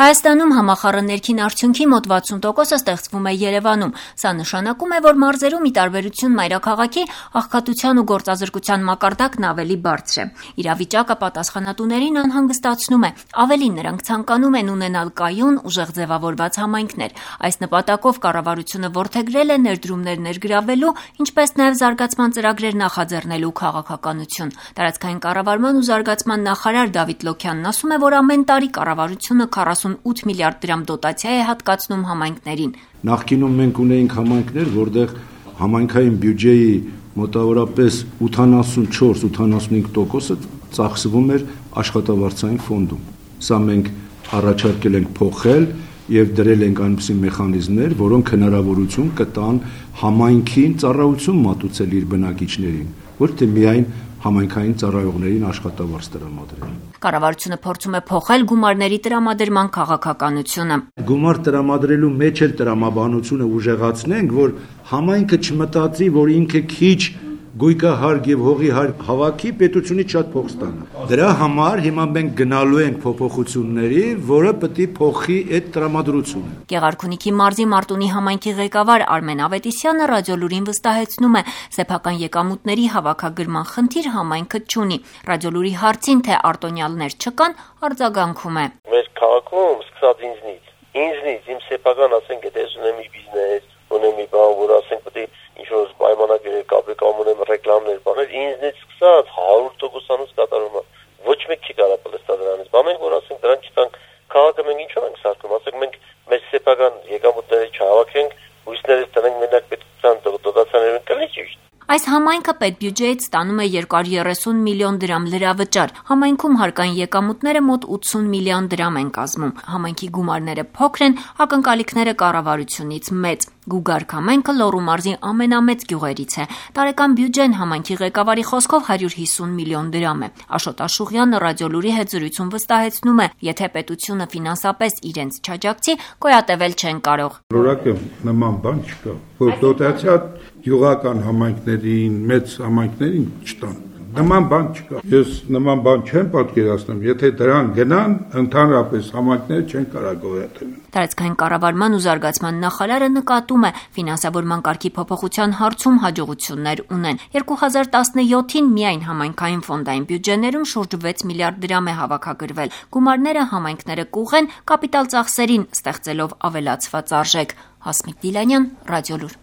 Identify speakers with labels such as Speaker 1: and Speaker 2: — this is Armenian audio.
Speaker 1: Հայաստանում համախառն ներքին արդյունքի մոտ 60%-ը ստեղծվում է Երևանում։ Սա նշանակում է, որ մարզերում ի տարբերություն մայրաքաղաքի աղքատության ու գործազրկության մակարդակն ավելի բարձր է։ Իրավիճակը պատասխանատուներին անհանգստացնում է։ Ավելին, նրանք ցանկանում են ունենալ կայուն, ուժեղ ձևավորված համայնքներ։ Այս նպատակով կառավարությունը որդեգրել է ներդրումներ ներգրավելու, ինչպես նաև զարգացման ծրագրեր նախաձեռնելու քաղաքականություն։ Տարածքային կառավարման ու զարգացման նախարար Դավիթ Լոքյանն ասում է, որ ամեն տարի կառավարությունը 48 միլիարդ դրամ դոտացիա է հատկացնում համայնքներին։
Speaker 2: Նախկինում մենք ունեինք համայնքներ, որտեղ համայնքային բյուջեի մոտավորապես 84-85%-ը ծախսվում էր աշխատավարձային ֆոնդում։ Սա մենք առաջարկել ենք փոխել եւ դրել ենք այնպիսի մեխանիզմներ, որոնք հնարավորություն կտան համայնքին ծառայություն մատուցել իր բնակիչներին, ոչ թե միայն համայնքային ծառայողներին աշխատավարձ տրամադրել։
Speaker 1: Կառավարությունը փորձում է փոխել գումարների տրամադրման քաղաքականությունը։
Speaker 2: Գումար տրամադրելու մեջ էլ տրամաբանությունը ուժեղացնենք, որ համայնքը չմտածի, որ ինքը քիչ գույքահարկ եւ հողի հարկ հավաքի պետությունից շատ փող ստանա։ Դրա համար հիմա մենք գնալու ենք փոփոխությունների, որը պետք է փոխի այդ տրամադրությունը։
Speaker 1: Գեղարքունիքի մարզի Մարտունի համայնքի ղեկավար Արմեն Ավետիսյանը Ռադիոլուրին վստահեցնում է, սեփական եկամուտների հավաքագրման խնդիր համայնքը չունի։ Ռադիոլուրի հարցին, թե արտոնյալներ չկան, արձագանքում է.
Speaker 3: Մեր քաղաքում սկսած ինձնից իմ սեփական, ասենք, եթե ունեմ մի բիզնես, ունեմ մի բան, որ ասենք պետք է ինչ-որ պայմանագրեր կապել կամ ունեմ ռեկլամներ բաներ, ինձնից սկսած 100%-անոց կատարում է։ Ոչ մեկ չի կարող պլստա դրանից։ Բա մենք որ ասենք դրան չտանք, քաղաքը մենք ինչու ենք սարքում, ասենք մենք մեր սեփական եկամուտները չհավաքենք, հույսներից տնենք մենակ պետության դոտացիաներն կլինի ճիշտ։
Speaker 1: Այս համայնքը պետբյուջեից ստանում է 230 միլիոն դրամ լրավճար։ Համայնքում հարկային եկամուտները մոտ 80 միլիոն դրամ են կազմում։ Համայնքի գումարները փոքր են, ակնկալիքները կառավարությունից մեծ։ Գուգարք համայնքը Լոռու մարզի ամենամեծ գյուղերից է։ Տարեկան բյուջեն համայնքի ղեկավարի խոսքով 150 միլիոն դրամ է։ Աշոտ Աշուղյանը Ռադիոլուրի հետ զրույցում վստահեցնում է, եթե պետությունը ֆինանսապես իրենց չաջակցի, գոյատևել չեն կարող։
Speaker 4: Որակը նման բան չկա, որ դոտացիա գյուղական համայնքներին, մեծ համայնքներին չտան։ Նման բան չկա։ Ես նման բան չեմ պատկերացնում, եթե դրան գնան, ընդհանրապես համայնքները չեն կարող գոյատևել։
Speaker 1: Տարածքային կառավարման ու զարգացման նախարարը նկատում է, ֆինանսավորման կարգի փոփոխության հարցում հաջողություններ ունեն։ 2017-ին միայն համայնքային ֆոնդային բյուջեներում շուրջ 6 միլիարդ դրամ է հավաքագրվել։ Գումարները համայնքները կուղեն կապիտալ ծախսերին, ստեղծելով ավելացված արժեք։ Հասմիկ Դիլանյան, Ռադիոլուր։